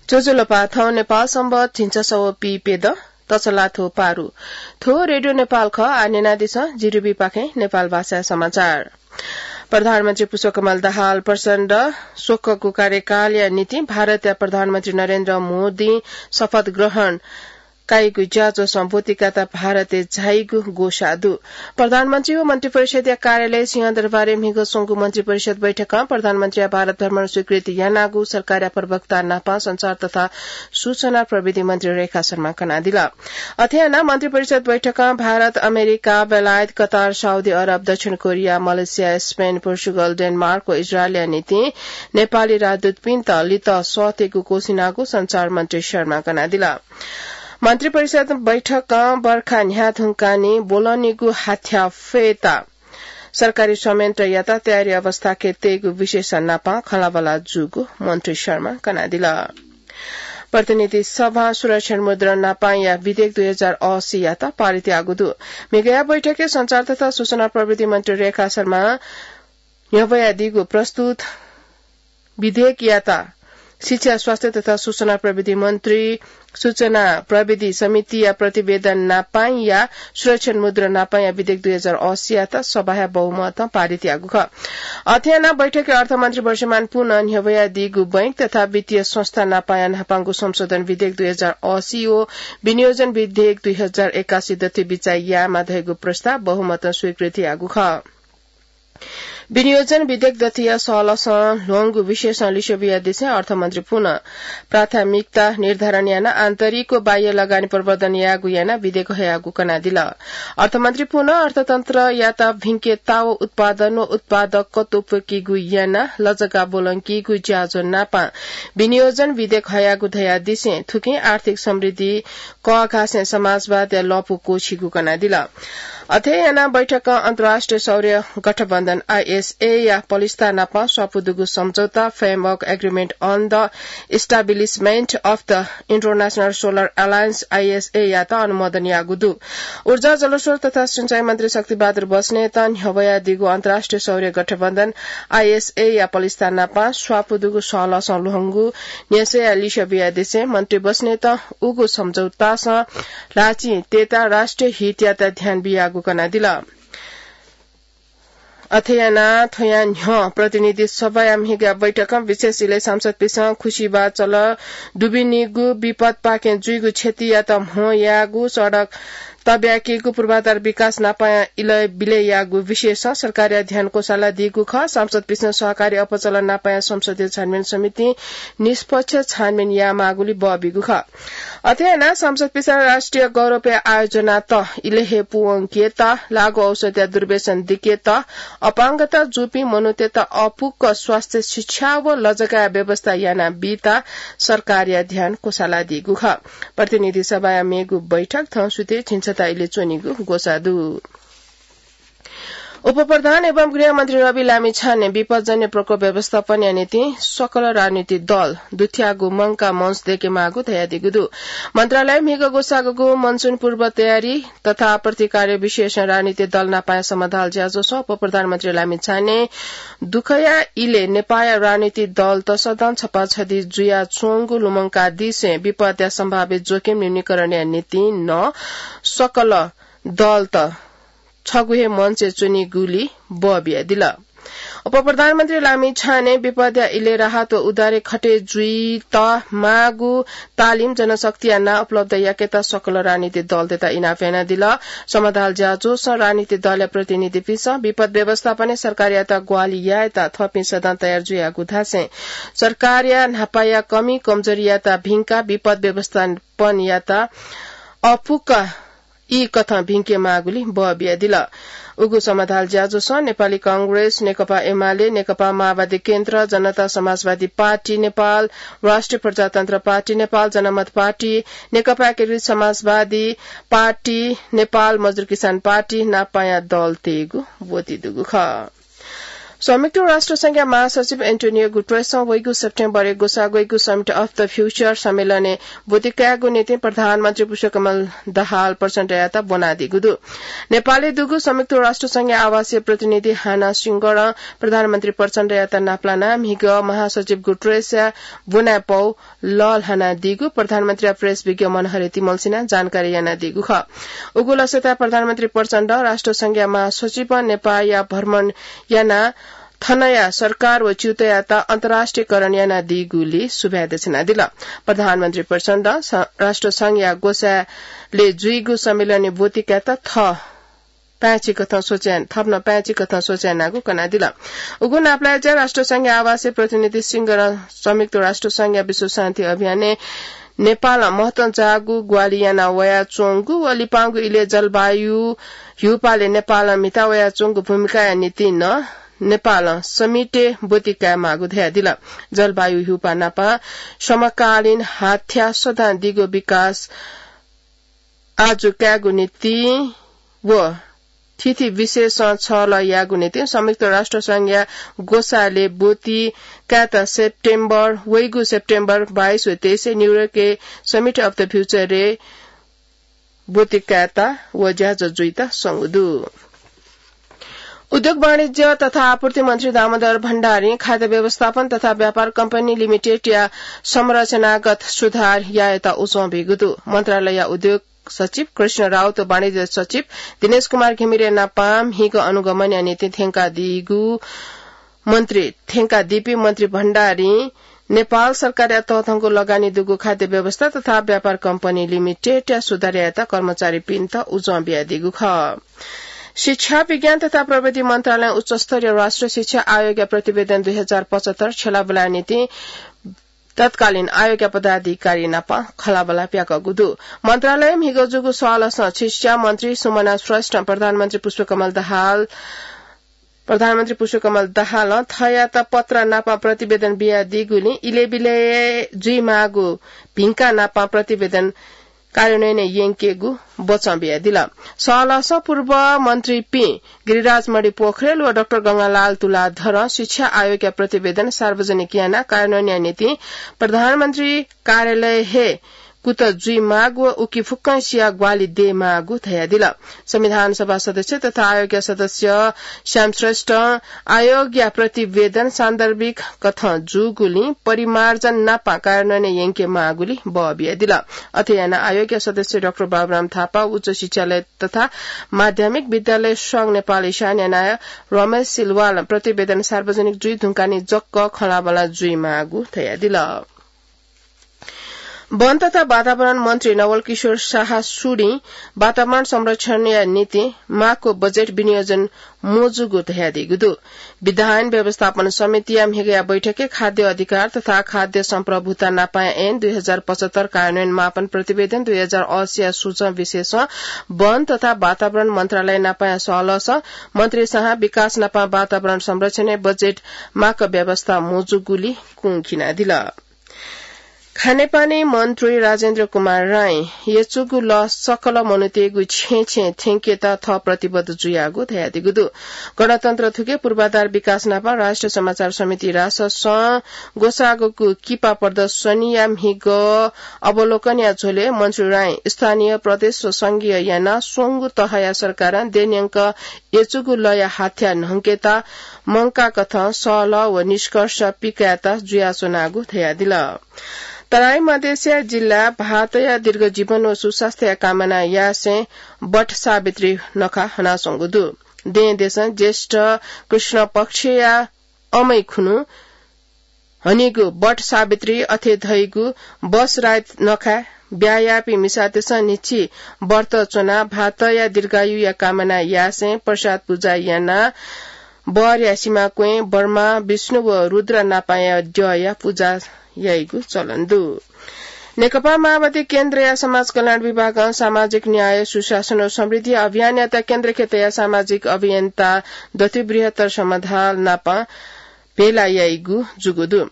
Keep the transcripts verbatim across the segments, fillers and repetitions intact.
ज्वजलपा, थौं नेपाल संवत् झिंछसः व पीप्यदँ तछलाथ्व पारु। थ्व रेडियो नेपाल खः। आः न्यनादिसँ जिरिबीपाखें नेपाल भाषाय् समाचार। प्रधानमन्त्री पुष्पकमल दाहाल प्रचण्ड स्वकःगु कार्यकालया निंतिं भारतया प्रधानमन्त्री नरेन्द्र मोदीं शपथ ग्रहण कयागु ज्याझ्वलं ब्वति कायेत भारतय् झाइगु ग्वसाः दु। प्रधानमन्त्री व मन्त्रिपरिषद्या कार्यालय सिंहदरबारय् म्हिगः स्वंगु मन्त्रिपरिषद बैठकं प्रधानमन्त्रीया भारत भ्रमण स्वीकृत यानागु सरकारया प्रवक्ता नाप सञ्चार तथा सूचना प्रविधि मन्त्री रेखा शर्मां कनादिल। अथे यानाः मन्त्रिपरिषद बैठकं भारत, अमेरिका, बेलायत, कतार, साउदी अरब, दक्षिण Korea, Malaysia, Spain, Portugal, Denmark व इजरायलया निंतिं नेपाली राजदूतपिन्त लित सःतेगु क्वसिनागु सञ्चार मन्त्री शर्मां कनादिल। मन्त्रिपरिषद बैठकं बर्खा न्ह्याः धुंकाः निं ब्वलंनिगु हाथ्याः फयेत सरकारी संयन्त्रयात तयारी अवस्थाय् तयेगु विषयस नाप खँल्हाबल्हा जूगु मन्त्री शर्मां कनादिल। प्रतिनिधि सभां सुरक्षित मुद्रण नापंया विधेयक दुई हजार असी यात पारित याःगु दु। म्हिगःया बैठकय् सञ्चार तथा सूचना प्रविधि मन्त्री रेखा शर्मां न्ह्यब्वयादीगु प्रस्तुत विधेयकयात शिक्षा, स्वास्थ्य तथा सूचना प्रविधि मन्त्री सूचना प्रविधि समितिया प्रतिवेदन नापंया सुरक्षित मुद्रण नापंया विधेयक दुई हजार असी यात सभाया बहुमतं पारित याःगु खः। अथे यानाः बैठकय् अर्थमन्त्री वर्षमान पुनं न्ह्यब्वयादीगु बैंक तथा वित्तीय संस्था नापंया न्हापांगु संशोधन विधेयक दुई हजार असी व विनियोजन विधेयक दुई हजार एकासी दथुइ बिचाः यायेमाः धइगु प्रस्ताव बहुमतं स्वीकृति याःगु खः। विनियोजन विधेयक दथुया सहलसं ल्ह्वंगु विषयसं लिसे बियादिसें अर्थमन्त्री पुनं प्राथमिकता निर्धारण यानाः आन्तरिक व बाह्य लगानी प्रवर्धन यायेगु यानाः विधेयक हयागु कनादिल। अर्थमन्त्री पुनं अर्थतन्त्रयात भिंकेत व उत्पादन व उत्पादकत्व प्वय्केगु यानाः लजगाः ब्वलंकीगु ज्याझ्वः नाप विनियोजन विधेयक हयागु धयादिसें थुकिं आर्थिक समृद्धि कःघासें समाजवादया लँपु क्वःछीगु कनादिल। अथे यानाः बैठकं अन्तर्राष्ट्रिय सौर्य गठबन्धन, आईएसए, या पलिस्था नाप स्वापू दुगु सम्झौता, Framework Agreement on the Establishment of the International Solar Alliance, ISA, यात अनुमोदन याःगु दु। ऊर्जा, जलस्रोत तथा सिँचाइ मन्त्री शक्तिबहादुर बस्नेतं न्ह्यब्वयादीगु अन्तर्राष्ट्रिय सौर्य गठबन्धन, आईएसए, या पलिस्था नाप स्वापू दुगु सहलसं ल्ह्वंगु न्ह्यसःया लिसे बियादिसें मन्त्री बस्नेतं उगु सम्झौतासं ल्हाःचिं तयेत राष्ट्रिय हितयात ध्यान बियागु कनादिल। अथे यानाः थ्वया न्ह्यः प्रतिनिधि सभाया म्हिगः बैठकं विशेष इलय् सांसदपिन्सं खुसिबाः चल दुबिनिगु विपदपाखें जुइगु क्षतियात म्हो यायेगु, सडक तब्याकीगु, पूर्वाधार विकास नापंया इलय् बिलय् याःगु विषयसं सरकारया ध्यान क्वसालादीगु खः। सांसदपिन्सं सहकारी अपचलन नापंया संसदीय छानबिन समितिं निष्पक्ष छानबिन यायेमाःगुलिं बः बीगु खः। अथे यानाः सांसदपिन्सं राष्ट्रिय गौरवया आयोजनात इलय् हे पूवंकेत, लागू औषधया दुर्व्यसन दिकेत, अपाङ्गता जूपिं मनूतय्त अःपुक स्वास्थ्य, शिक्षा व लजगाःया व्यवस्था यानाबीत सरकारया ध्यान क्वसालादीगु खः। प्रतिनिधि सभाया मेगु बैठक थौं सुथय् झिंछता इलय् च्वनीगु ग्वसाः दु। उपप्रधान एवं गृहमन्त्री रवि लामिछानें विपदजन्य प्रकोप व्यवस्थापनया निंतिं सकल राजनीतिक दल दुथ्याःगु मंकाः मञ्च दयेकेमाःगु धयादीगु दु। मन्त्रालयं म्हिगः ग्वसाःगु मनसुन पूर्व तयारी तथा प्रतिकार विषयसं राजनीतिक दल नापंया समाधाल ज्याझ्वलय् उपप्रधानमन्त्री लामिछानें दुःखया इलय् नेपाःया राजनीतिक दल तसदं छपाछदि जुयाच्वंगु लुमंकादिसें विपदया सम्भावित जोखिम न्यूनीकरणया निंतिं नं सकल दलत छगू हे मञ्चय् च्वनीगुलिं बः बियादिल। उपप्रधानमन्त्री लामिछानें विपदया इलय् राहत व उद्धारय् खटे जुइत माःगु तालिम, जनशक्तिया नां उपलब्ध याकेत सकल राजनीतिक दलतय्त इनाप यानादिल। समाधाल ज्याझ्वलय् राजनीतिक दलया प्रतिनिधिपिन्सं विपद व्यवस्थापनय् सरकारयात ग्वाहालि यायेत थःपिं सदं तयार जुयागु धासें सरकारया न्हापाया कमी कमजोरीयात भिंकाः विपद व्यवस्थापनयात अःपुक ई कथं भिंकेमाःगुलिं बः बियादिल। उगु समाधाल ज्याझ्वलय् नेपाली कांग्रेस, नेकपा एमाले, नेकपा माओवादी केन्द्र, जनता समाजवादी पार्टी नेपाल, राष्ट्रिय प्रजातन्त्र पार्टी नेपाल, जनमत पार्टी, नेकपा एकीकृत समाजवादी पार्टी नेपाल, मजदुर किसान पार्टी नापंया दलतय्गु ब्वति दुगु खः। संयुक्त राष्ट्र संघया महासचिव एन्टोनियो गुटरेसं वइगु सेप्टेम्बरय् ग्वसाः ग्वइगु Summit of the Future सम्मेलनय् ब्वति कायेगु निंतिं प्रधानमन्त्री पुष्पकमल दाहाल प्रचण्डयात ब्वनादीगु दु। नेपालय् दुगु संयुक्त राष्ट्र संघया आवासीय प्रतिनिधि हाना सिंगरं प्रधानमन्त्री प्रचण्डयात नापलानाः म्हिगः महासचिव गुटरेसया ब्वनाय् पौ लःल्हानादीगु प्रधानमन्त्रीया प्रेस विज्ञ मनहरे तिमल्सिनां जानकारी यानादीगु खः। उगु लसताय् प्रधानमन्त्री प्रचण्ड राष्ट्र संघया महासचिवं नेपाःया भ्रमण यानाः थनया सरकार व च्यूतयात अन्तर्राष्ट्रियकरण यानादीगुलिं सुभाय् देछानादिल। प्रधानमन्त्री प्रचण्ड स-, राष्ट्र संघया ग्वसाःलय् जुइगु सम्मेलनय् ब्वति कायेत थः पाय्‌छि कथं सोचे-, थप नं पाय्‌छि कथं सोचे यानागु कनादिल। उगु नापलाय् ज्या राष्ट्र संघया आवासीय प्रतिनिधि सिंगरं संयुक्त राष्ट्र संघया विश्व शान्ति अभियानय् नेपालं महत्वं जाःगु ग्वाहालि याना वयाच्वंगु व लिपांगु इलय् जलवायु ह्यूपालय् नेपालं म्हिता वयाच्वंगु भूमिकाया निंतिं नं नेपालं Summit-य् ब्वति कायेमाःगु धयादिल। जलवायु ह्यूपाः नाप समकालीन हाथ्या सदां दिगो विकास आजु कायेगु निंतिं व थीथी विषयसं छलह यायेगु निंतिं संयुक्त राष्ट्र संघया ग्वसाःलय् ब्वति कायेत सेप्टेम्बर, वइगु सेप्टेम्बर बाइस व तेइसय् न्यूयोर्कय् Summit of the Future-य् ब्वति कायेत व ज्याझ्वः जुइत स्वंगु दु। उद्योग वाणिज्य तथा आपूर्ति मन्त्री दामोदर भण्डारीं खाद्य व्यवस्थापन तथा व्यापार कम्पनी लिमिटेडया संरचनागत सुधार यायेत उजं ब्यूगु दु। मन्त्रालयया उद्योग सचिव कृष्ण राउत व वाणिज्य सचिव दिनेश कुमार घिमिरे नाप म्हिगः अनुगमनया निंतिं थ्यंकादीगु मन्त्री, थ्यंकादीपिं मन्त्री भण्डारीं नेपाल सरकारया तःधंगु लगानी दुगु खाद्य व्यवस्था तथा व्यापार कम्पनी लिमिटेडया सुधार यायेत कर्मचारीपिन्त उजं बियादीगु खः। शिक्षा, विज्ञान तथा प्रविधि मन्त्रालयं उच्चस्तरीय राष्ट्रिय शिक्षा आयोगया प्रतिवेदन दुई हजार पचहत्तर छ्यलाबुलाया निंतिं तत्कालीन आयोगया पदाधिकारी नाप खँल्हाबल्हा प्याकःगु दु। मन्त्रालयं म्हिगः जूगु सवालसं शिक्षा मन्त्री सुमना श्रेष्ठं प्रधानमन्त्री पुष्पकमल दाहाल, प्रधानमन्त्री पुष्पकमल दाहालं थःयात पत्र नाप प्रतिवेदन बियादीगुलिं इलय्‌बिलय् जुइमाःगु भिंका नाप प्रतिवेदन कार्यान्वयनय् यंकेगु बचं बियादिल। सवालसं पूर्व मन्त्रीपिं गिरिराज मणि पोखरेल व डाक्टर गंगालाल तुलाधरं शिक्षा आयोगया प्रतिवेदन सार्वजनिक यानाः कार्यान्वयनया निंतिं प्रधानमन्त्री कार्यालय हे कुतः जुइमाःगु व उकी फुक्कंसिया ग्वाहालि दयेमाःगु धयादिल। संविधान सभा सदस्य तथा आयोगया सदस्य श्याम श्रेष्ठं आयोगया प्रतिवेदन सान्दर्भिक कथं जूगुलिं परिमार्जन नाप कार्यान्वयनय् यंकेमाःगुलिं बः बियादिल। अथे यानाः आयोगया सदस्य डाक्टर बाबुराम थापा, उच्च शिक्षालय तथा माध्यमिक विद्यालय संघ नेपाल इशानया नायः रमेश सिलवालं प्रतिवेदन सार्वजनिक जुइ धुंकाः निं जक खँल्हाबल्हा जुइमाःगु धयादिल। वन तथा वातावरण मन्त्री नवल किशोर शाह सुडिं वातावरण संरक्षणया निंतिं माःगु बजेट विनियोजन मजूगु धयादीगु दु। विधायन व्यवस्थापन समितिया म्हिगःया बैठकय् खाद्य अधिकार तथा खाद्य सम्प्रभुता नापाया ऐन दुई हजार पचहत्तर कार्यान्वयन मापन प्रतिवेदन दुई हजार अस्सीया सूचं विषयसं वन तथा वातावरण मन्त्रालय नापाया सवालसं मन्त्री शाहं विकास नापं वातावरण संरक्षणय् बजेट माःगु व्यवस्था मजूगुलिं कुंखिनादिल। खानेपानी मन्त्री राजेन्द्र कुमार राईं यचुगु लः सकल मनूतय्‌गु छेँय् छेँय् थ्यंकेत थः प्रतिबद्ध जुयागु धयादीगु दु। गणतन्त्र थुके पूर्वाधार विकास नापं राष्ट्रिय समाचार समिति राससं ग्वसाःगु किपा प्रदर्शनीया म्हिगः अवलोकनया झ्वलय् मन्त्री राईं स्थानीय, प्रदेश व संघीय यानाः स्वंगू तहया सरकारं देय्‌न्यंक यचुगु लःया हाथ्या न्हंकेत मंकाकथं सल्लाह व निष्कर्ष पिकायेत जुयाच्वनागु धयादिल। तराई मधेसया जिल्ला भाःतया दीर्घ जीवन व सुस्वास्थ्यया कामना यासें वट सावित्री नखः हनाच्वंगु दु। दें देशं ज्येष्ठ कृष्ण पक्षया अमै खुन्हु हनीगु वट सावित्री अथे धइगु बसराइत नखाय् ब्याहा याःपिं मिसातय्‌सं न्हिच्छि व्रत च्वनाः भाःतया दीर्घायुया कामना यासें प्रसाद पुजा यानाः बरया सिमाक्वँय् ब्रह्मा, विष्णु व रुद्र नापाया द्यःया पुजा याइगु चलन दु। नेकपा माओवादी केन्द्रया समाज कल्याण विभागं सामाजिक न्याय, सुशासन व समृद्धि अभियानयात केन्द्रखे तयाः सामाजिक अभियन्ता दथुइ बृहत्तर समाधाल नाप भेला याइगु जूगु दु।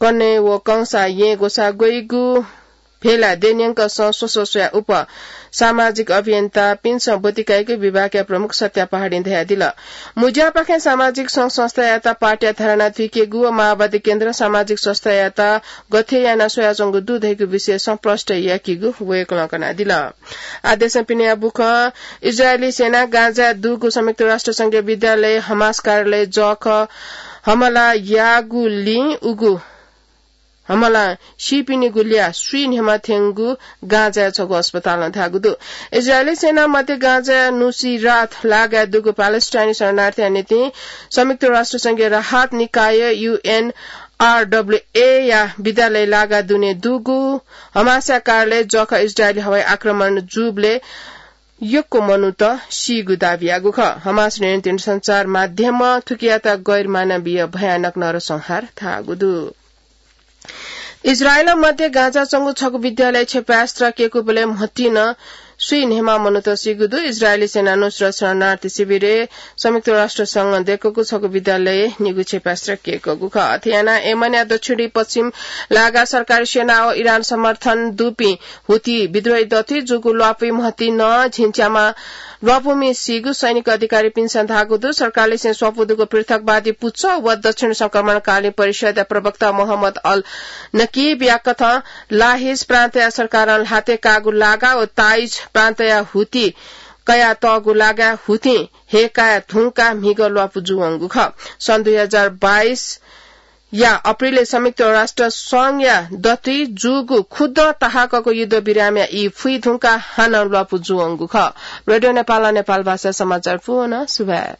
कन्हय् व कंसा येँ ग्वसाः ग्वइगु भेला देन्यंक सं स्वस्व स्वया उप सामाजिक अभियन्ता पिन्सं बतिकाइक विभागया प्रमुख सत्या पहाडी धयादिल। मुज्यापाखें सामाजिक सं संस्थायात पार्टीया धारणा थुइकेगु व माओवादी केन्द्र सामाजिक संस्थायात गथे याना स्वयाच्वंगु दु धइगु विषय संप्रष्ट याकीगु वयकलं कनादिल। आदेशं पिनेया बुखं इजरायली सेना गाजाय् दुगु संयुक्त राष्ट्र संघीय विद्यालय हमास कार्यालय जःख हमला यागुलिं उगु हमला सीपिनिगु ल्या स्वीन्हेमा थ्यंगु गाजाय् छगू अस्पतालं धाःगु दु। इजरायली सेना मध्य गाजाय् नुसिरात लागाय् दुगु प्यालेस्टाइनी शरणार्थीया निंतिं संयुक्त राष्ट्र संघीय राहत निकाय, यूएनआरडब्ल्यूए या विद्यालय लागा दुने दुगु हमासया कार्यालय जःख इजरायली हवाई आक्रमण जूबलय् यक्व मनूत सीगु दाबी याःगु खः। हमास नियन्त्रित सञ्चार माध्यमं थुकियात गैर मानवीय भयानक नरसंहार धाःगु दु। इजरायल मध्य गाजा च्वंगु छगू विद्यालय क्षेपास्त्र केकूबलय् म्हतिं स्वीन्हेमा मनूत सीगु दु। इजरायली सेना नुसरत शरणार्थी शिविरय् संयुक्त राष्ट्र संघं दय्कूगु छगू विद्यालय निगू क्षेपास्त्र केकूगु खः। अथे यानाः यमनया दक्षिणी पश्चिम लागा सरकारी सेना व इरान समर्थन दुपिं हुती विद्रोही दथुइ जूगु ल्वापुइ म्हतिं झिंच्यामा ल्वापुमि सीगु सैनिक अधिकारीपिन्सं धाःगु दु। सरकारलिसें स्वापू दुगु पृथकवादी पुचः व दक्षिण संक्रमणकालीन परिषदया प्रवक्ता मोहम्मद अल नकीबया कथं लाहिज प्रान्तया सरकारं ल्हातय् काःगु लागा व ताइज प्रान्तया हुती कयातःगु लागा हुतिं हय्काये धुंकाः म्हिगः ल्वापु जूवंगु खः। सन् दुई हजार बाइस या अप्रिलय् संयुक्त राष्ट्र संघया दथुइ जूगु खुद्दँ ताहाकःगु युद्ध विरामया ई फुइ धुंकाः हानं ल्वापु जूवंगु खः। रेडियो नेपालं नेपाल भाषा समाचार पूवं सुभाय्।